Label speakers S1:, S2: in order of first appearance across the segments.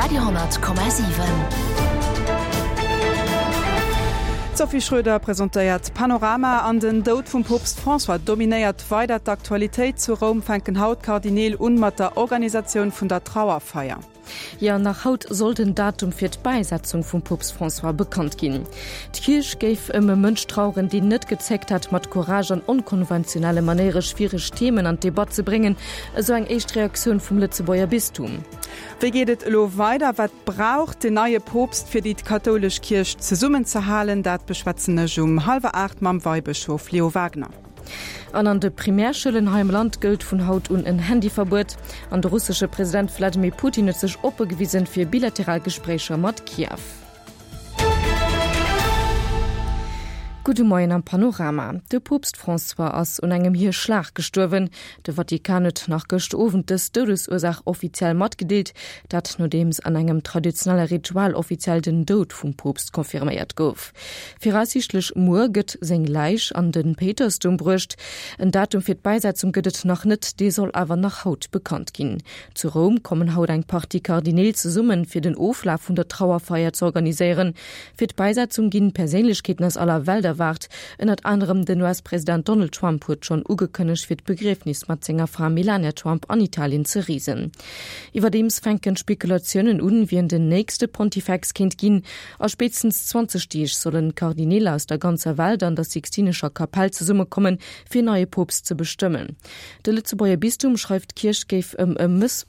S1: Radio,7.
S2: D'Sophie Schröder presentéiert Panorama an den Doud vum Poopst François dominéiert weider d'Aktualitéit. Zu Roum fänken haut d'Kardineel un mat der Organisatioun vun der Trauerfeier.
S3: Jo, nach haut soll den Datum fir d'Bäisetzung vum Poopst François bekannt ginn. D'Kierch géif ëm e Mënsch traueren, deen net gezéckt hätt, mat Courage an onkonventionelle Manéiere schwiereg Themen an d'Debatt ze bréngen, esou eng éischt Reaktioun vum Lëtzebuerger Bistum.
S2: Wéi geet et elo weider? Wat brauch den neie Poopst, fir déi kathoulesch Kierch zesummenzehalen? Dat beschwätzen ech um hallwer 8 mam Weibëschof Leo Wagner.
S3: An an de Primärschoulen hei am Land gëllt vun haut un en Handyverbuet. An de russesche President Wladimir Putin huet sech oppe gewisen fir bilateral Gespréicher mat Kiew. Gudde Moien am Panorama. De Poopst François ass un engem Hierschlag gestuerwen. De Vatikan huet nach gëscht Owend dës Doudesursaach offiziell matgedeelt. Dat nodeems an engem traditionelle Ritual offiziell den Doud vum Poopst confirméiert gouf. Viraussiichtlech muer gëtt seng Läich an de Péitersdoum bruecht. En Datum fir d'Bäisetzung gëtt et nach net, dee soll awer nach haut bekannt ginn. Zu Roum kommen haut eng Partie Kardineel zesummen, fir den Oflaf vun der Trauerfeier ze organiséieren. Fir d'Bäisetzung ginn Perséinlechkeeten aus aller Welt erwaart. Ënnert anerem den US-President Donald Trump huet schonn ugekënnegt, fir d'Begriefnis mat senger Fra Melania Trump an Italien ze reesen. Iwwerdeems fänken d'Spekulatiounen un, wien den nächste Pontifex kéint ginn. A spéitstens 20 Deeg sollen Kardineel aus der ganzer Welt an der Sixtinescher Kapell zesummekommen, fir en neie Poopst ze bestëmmen. De Lëtzebuerger Bistum schreift, d'Kierch géif ëm e Mëss.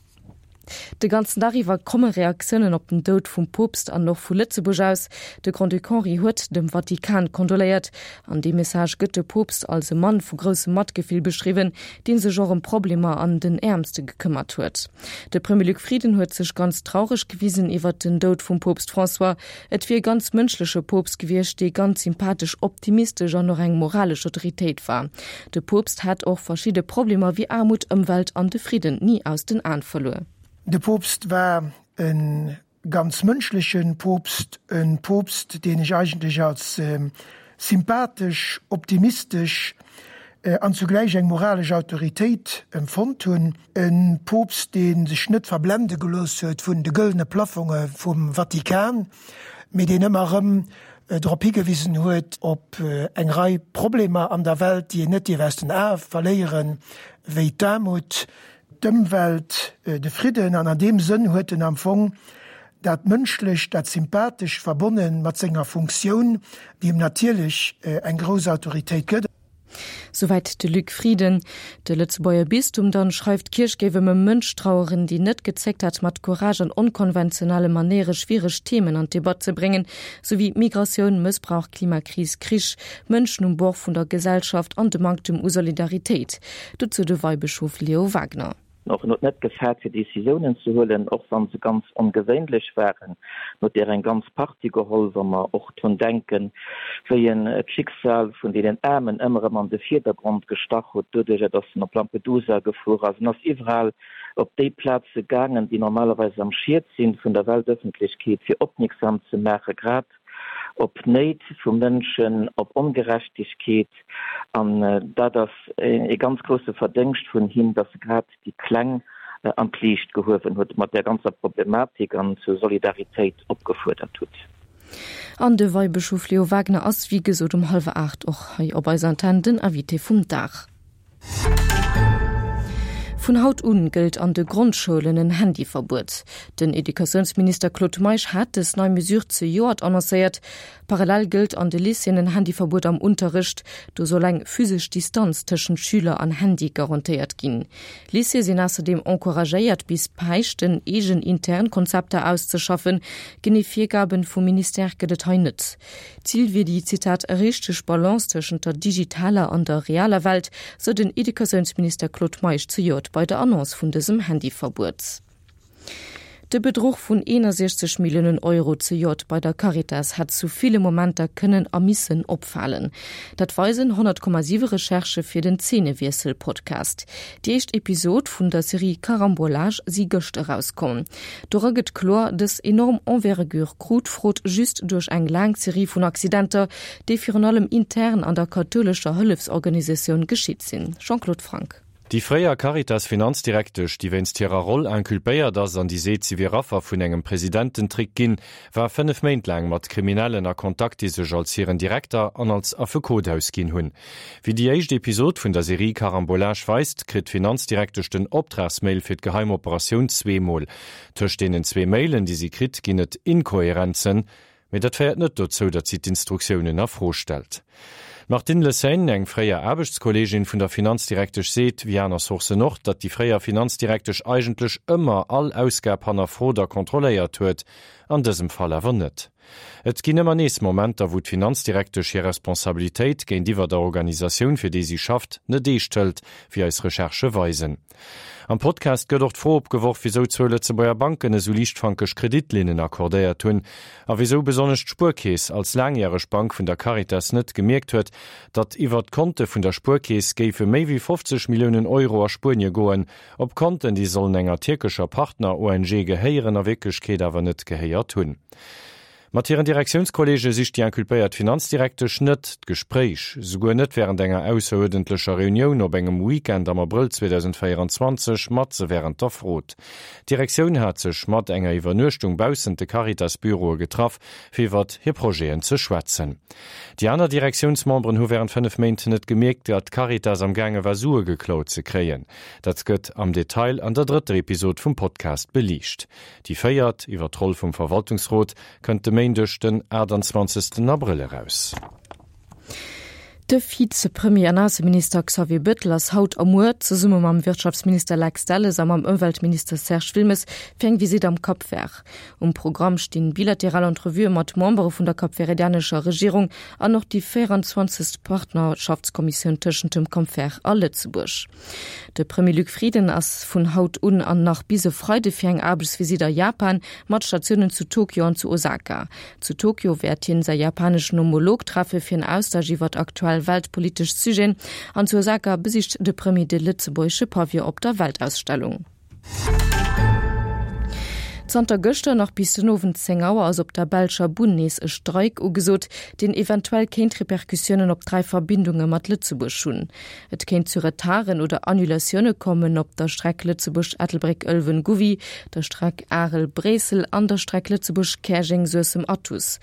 S3: De ganzen Dag iwwer komme Reaktiounen op den Doud vum Poopst an och vu Lëtzebuerg aus. De Grand-Duc Henri huet dem Vatikan kondoléiert. An deem Message gëtt de Poopst als e Mann vu groussem Matgefill beschriwwen, dee sech och ëm Problemer an den Äermste gekëmmert huet. De Premier Luc Frieden huet sech ganz traureg gewisen iwwert den Doud vum Poopst François. Et wier e ganz mënschleche Poopst gewiescht, dee ganz sympathesch, optimistesch an och eng moralesch Autoritéit war. De Poopst hätt och verschidde Problemer wéi Aarmut, Ëmwelt an de Fridden ni aus den Aen verluer.
S4: De Poopst war e ganz mënschleche Poopst, e Poopst, deen ech eigentlech als sympathesch, optimistesch an zugläich eng moralesch Autoritéit empfonnt hunn. E Poopst, dee sech net verblende gelooss huet vun de gëllene Plaffonge vum Vatikan, mee deen ëmmer erëm drop higewisen huet op eng Rei Problemer an der Welt, déi een net dierf aus den Ae verléieren, wéi d'Aarmut, d'Ëmwelt, de Fridden. An an deem Sënn huet en am Fong dat Mënschlecht, dat Sympathescht verbonne mat senger Funktioun, déi em natierlech eng grouss Autoritéit gëtt.
S3: Souwäit de Luc Frieden. De Lëtzebuerger Bistum dann schreift, d'Kierch géif ëm e Mënsch traueren, deen net gezéckt hätt, mat Courage an onkonventionelle Manéiere schwiereg Themen an d'Debatt ze bréngen, sou wéi Migratioun, Mëssbrauch, Klimakris, Krich, Mënschen um Bord vun der Gesellschaft an de Manktem u Solidaritéit. Dozou de Weibëschof Leo Wagner.
S5: Och en huet net gefaart fir Décisiounen ze huelen, och wa se ganz ongewéinlech waren. En huet där eng ganz Partie geholl, wa mer och drun denken, wéi en d'Schicksal vun deenen Aarmen ëmmer erëm an de Vierdergrond gestach huet, doduerjer datt en op Lampedusa gefuer ass. En ass iwwerall op déi Plaze gaangen, déi normalerweis am Schiet sinn vun der Weltëffentlechkeet, fir opmierksam ze maachen, grad op Néit vu Mënschen, op Ongerechtegkeet. An dat ass ee ganz grousse Verdéngscht vun him, datt e grad déi Kleng an d'Liicht gehuewen huet mat där ganzer Problematik an zur Solidaritéit opgefuerdert hutt.
S3: An de Weibëschof Leo Wagner ass, wéi gesot, um hallwer 8 och hei op eiser Antenn den Invité vum Dag. Vun haut un gëllt an de Grondschoulen en Handyverbuet. Den Educatiounsminister Claude Meisch hat dës nei Mesure zejoert annoncéiert. Parallel gëllt an de Lycéeën en Handyverbuet am Unterrecht. Do soll eng physesch Distanz tëschent Schüler an Handy garantéiert ginn. Lycéeë sinn ausserdeem encouragéiert, bis Päischten eegen intern Konzepter auszeschaffen. Genee Virgaben vum Ministère gëtt et hei net. D'Zil wier déi, Zitat, richteg Balance tëschent der digitaler an der realer Welt, sou den Educatiounsminister Claude Meisch zejoert bei der Annonce vun dësem Handyverbuet. De Bedruch vun 61 Milliounen Euro zejoert bei der Caritas hätt zu ville Momenter kënnen a missen opfalen. Dat weisen 100,7 Recherchë fir den Zeenewiessel-Podcast. Déi éischt Episod vun der Serie Carambolage si gëscht erauskomm. Dora gëtt kloer, dës enorm Envergure krut d'Frod just duerch eng laang Serie vun Accidenter, déi virun allem intern an der kathoulescher Hëllefsorganisatioun geschitt sinn. Jean-Claude Franck.
S1: Déi fréier Caritas-Finanzdirektesch, déi wéinst hirer Roll inculpéiert ass an déi seet, si wier Affer vun engem Presidententrick ginn, war 5 Méint laang mat Kriminellen a Kontakt, déi sech als hiren Direkter an als Affekot ausginn hunn. Wéi déi éischt Episod vun der Serie Carambolage weist, kritt d'Finanzdirektesch den Optragsmail fir d'geheim Operatioun zweemol. Tëscht deenen zwee Mailen, déi si kritt, ginn et Inkohärenzen, Mee dat féiert net dozou, datt si d'Instruktiounen a Fro stellt. D'Martine Lesaigne, eng fréier Aarbechtskolleegin vun der Finanzdirektesch, seet, wéi aner Sourcen och, datt déi fréier Finanzdirektesch eigentlech ëmmer all Ausgab hannerfrot a kontrolléiert huet, an dësem Fall awer net. Et ginn ëmmer nees Momenter, wou d'Finanzdirektesch hir Responsabilitéit géintiwwer der Organisatioun, fir déi si schafft, net eescht hëlt, wéi eis Recherchë weisen. Am Podcast gëtt och d'Fro opgeworf, wisou zwou Lëtzebuerger Banken esou liichtfankeg Kreditlinnen accordéiert hunn a wisou besonnesch d'Spuerkeess als laangjäreg Bank vun der Caritas net gemierkt huet, datt iwwert d'Konte vun der Spuerkeess géife méi wéi 50 Milliounen Euro a Spuenie goen, op Konten, déi sollen enger tierkescher Partner-ONG gehéieren, a Wierklechkeet awer net gehéiert hunn. Mat hiren Direktiounskolleege sicht déi inculpéiert Finanzdirektesch net d'Gespréich, souguer net wärend enger ausseruerdentlecher Reunioun op engem Weekend am Abrëll 2024 matze wärend der Frot. D'Direktioun hat sech mat enger Iwwernuechtung baussent de Caritas-Büroe getraff, fir iwwert hir Projeten ze schwätzen. Déi aner Direktiounsmemberen hu wärend 5 Méint net gemierkt, datt d'Caritas am gaange war Sue geklaut ze kréien. Dat gëtt am Detail an der drëtter Episod vum Podcast beliicht. Déi véiert, iwwer d'Roll vum Verwaltungsrot, kënnt de Méindeg, den 28. Abrëll eraus.
S3: De Vizepremier an Ausseminister Xavier Bettel ass haut a muer zesumme mam Wirtschaftsminister Lex Delles a mam Ëmweltminister Serge Wilmes fir eng Visitt am Cap Vert. Um Programm stinn bilateral Entrevuë mat Membere vun der kapverdianescher Regierung an och déi 24. Partnerschaftskommissioun tëschent dem Cap Vert a Lëtzebuerg. De Premier Luc Frieden ass vun haut un an nach bis e Freide fir eng Aarbechtsvisitt a Japan, mat Statiounen zu Tokio an zu Osaka. Zu Tokio wäert hien säi japaneschen Homolog treffe fir en Austausch iwwert aktuell weltpolitesch Sujeten an zu Osaka besicht de Premier de lëtzebuergesche Pavillon op der Weltausstellung. Zanter gëschter nach bis den Owend 10 Auer ass op der belscher Bunn nees e Streik ugesot, deen eventuell kéint Repercussiounen op 3 Verbindunge mat Lëtzebuerg hunn. Et kéint zu Retarden oder Annulatioune kommen op der Streck Lëtzebuerg-Ettelbréck-Ëlwen-Gouvy, der Streck Arel-Bréissel an der Streck Lëtzebuerg-Käerjeng-Suessem-Athus.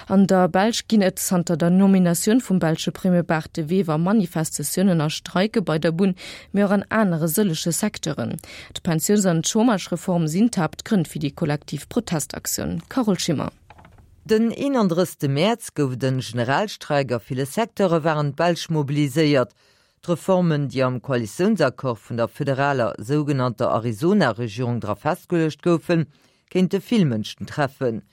S3: An der Belsch ginn et zanter der Nominatioun vum belsche Premier Bart De Wever Manifestatiounen a Streike bei der Bunn, mee och an anere sëllege Secteuren. D'Pensiouns an d'Chômagereform sinn d'Haaptgrënn fir déi kollektiv Protestaktioun. Carole Schimmer.
S6: Den 31. Mäerz gouf et en Generalstreik, a ville Secteure waren d'Belsch mobiliséiert. D'Reformen, déi am Koalitiounsaccord vun der federaler sougenannter Arizona-Regierung dra festgeluecht goufen, kéinte vill Mënschen treffen.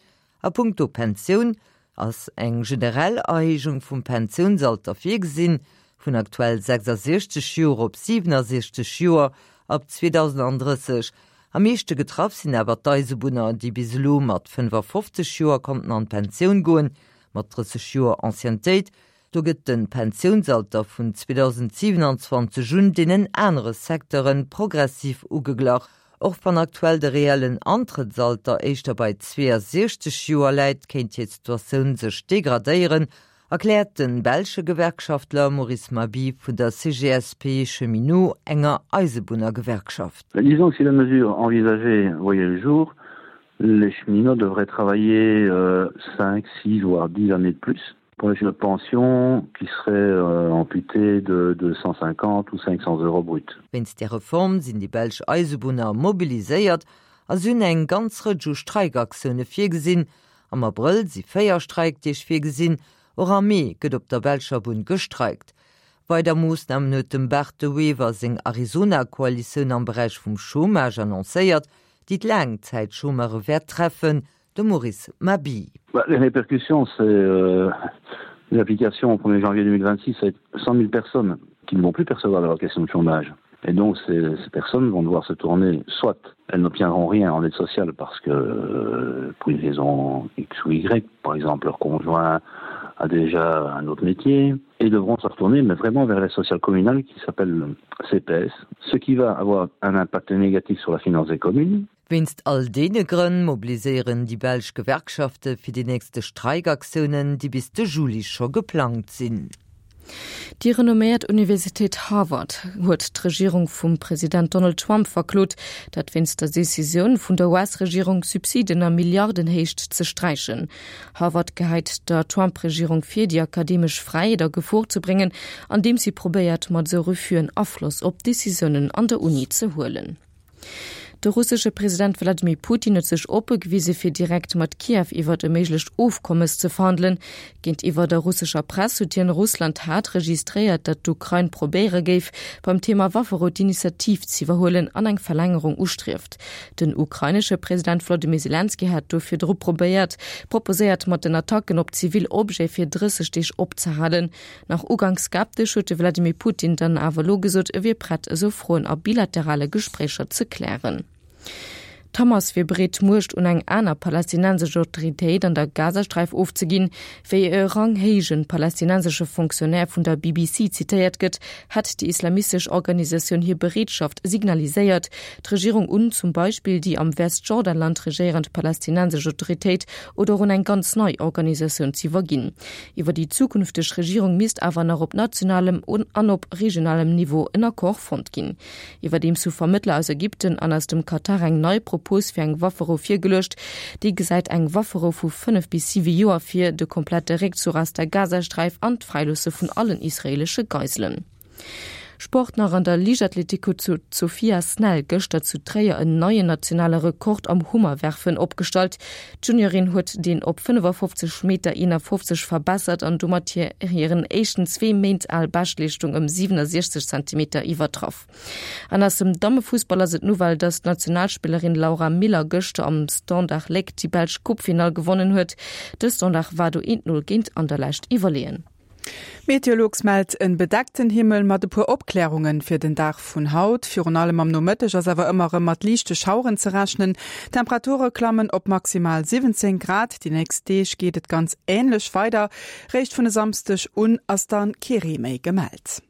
S6: A punkto Pensioun ass eng generell Erhéijung vum Pensiounsalter virgesinn, vun aktuell 66 Joer op 67 Joer ab 2030. Am meeschte getraff sinn awer d'Eisebunner, déi bis elo mat 55 Joer konnten an d'Pensioun goen, mat 30 Joer Anciennetéit. Do gëtt de Pensiounsalter vun 2027 un deenen anere Secteure progressiv ugeglach. Och wann aktuell de reellen Antrëttsalter éischter bei 62 Joer läit, kéint hir Situatioun sech degradéieren, erkläert de belsche Gewerkschaftler Maurice Maby vun der CGSP Cheminots, enger Eisebunnergewerkschaft.
S7: Disons que si la mesure envisagée voyait le jour, les cheminots devraient travailler 5, 6 voire 10 années de plus pour une pension qui serait euh, amputée de 250 ou 500 euros brut.
S6: Wéinst där Reform sinn déi belsch Eisebunner mobiliséiert a si hunn eng ganz Rëtsch u Streikaktioune virgesinn. Am Abrëll si 4 Streikdeeg virgesinn, och am Mee gëtt op der belscher Bunn gestreikt. Weider Moossnamen huet dem Bart De Wever seng Arizona-Koalitioun am Beräich vum Chômage annoncéiert, déi d'Laangzäitchômeure wäert treffen, de Maurice Mabille.
S7: Les répercussions, c'est euh, l'application au 1er janvier 2026 avec 100 000 personnes qui ne vont plus percevoir l'allocation de chômage. Et donc ces, ces personnes vont devoir se tourner soit elles n'obtiendront rien en aide sociale parce que euh, pour une raison X ou Y, par exemple leur conjoint a déjà un autre métier et devront se retourner mais vraiment vers la sociale communale qui s'appelle CPS, ce qui va avoir un impact négatif sur la finance des communes.
S6: Wéinst all deene Grënn mobiliséieren déi belsch Gewerkschafte fir déi nächste Streikaktiounen, déi bis de Juli scho geplangt sinn.
S3: Déi renomméiert Universitéit Harvard huet d'Regierung vum President Donald Trump verklot, dat wéinst der Decisioun vun der US-Regierung, Subsiden a Milliardenhéicht ze sträichen. Harvard gehäit der Trump-Regierung vir, déi akademesch Fräiheet a Gefor ze bréngen, andeems si probéiert, mat esou Refus'en Afloss op d'Decisiounen an der Uni ze huelen. De russesche President Wladimir Putin huet sech oppe gewise fir direkt mat Kiew iwwert e méiglecht Ofkommes ze verhandelen. Géintiwwer der russescher Press huet hien Russland hat registréiert, datt d'Ukrain probéiere géif, beim Thema Wafferou d'Initiativ z'iwwerhuelen an eng Verlängerung ustrieft. Den ukrainesche President Wlodimir Selenskyj hat do virdru probéiert proposéiert, mat den Attacken op zivil Objete fir 30 Deeg opzehalen. Nach uganks skeptesch huet de Wladimir Putin dann awer elo gesot, e wier prett, esou Froen a bilaterale Gespréicher ze klären. D'Hamas wier bereet, d'Muecht un eng aner palästinensesch Autoritéit an der Gazasträif ofzeginn. Wéi e ranghéije palästinensesche Fonctionnaire vun der BBC zitéiert gëtt, hätt déi islamistesch Organisatioun hir Bereetschaft signaliséiert, d'Regierung un zum Beispill déi am Westjordanland regéierend palästinensesch Autoritéit oder och un eng ganz nei Organisatioun z'iwwerginn. Iwwer déi zukünfteg Regierung misst awer nach op nationalem an op regionalem Niveau en Accord fonnt ginn. Iwwerdeems hu Vermëttler aus Ägypten an aus dem Katar eng nei Propos fir eng Wafferou virgeluecht. Déi gesäit eng Wafferou vu 5 bis 7 Joer vir, de komplette Réckzuch aus der Gazasträif an d'Fräiloosse vun allen israeelesche Geiselen. Sport nach, An der Liichtathletik huet d'Sophia Snell gëschter zu Tréier en neien nationale Rekord am Hummerwerfen opgestallt. D'Juniorin huet deen op 55 Meter 51 verbessert an domat hir hiren éischten zwee Méint al Beschtleeschtung ëm 67 Zentimeter iwwertraff. An aus dem Dammefussball ass et d'Nouvelle, dass d'Nationalspillerin Laura Miller gëschter am Standard Léck déi belsch Coupefinall gewonnen huet. De Standard war do 1, 0 géint Anderlecht iwwerleeën.
S2: Meteolux mellt en bedeckten Himmel mat e puer Opklärungen fir den Dag vun haut. Virun allem am Nomëtteg ass awer ëmmer erëm mat liichte Schaueren ze rechnen. D'Temperature klammen op maximal 17 Grad. Déi nächst Deeg geet et ganz änlech weider, réischt vun e Samsdeg un ass dann kee Ree méi gemellt.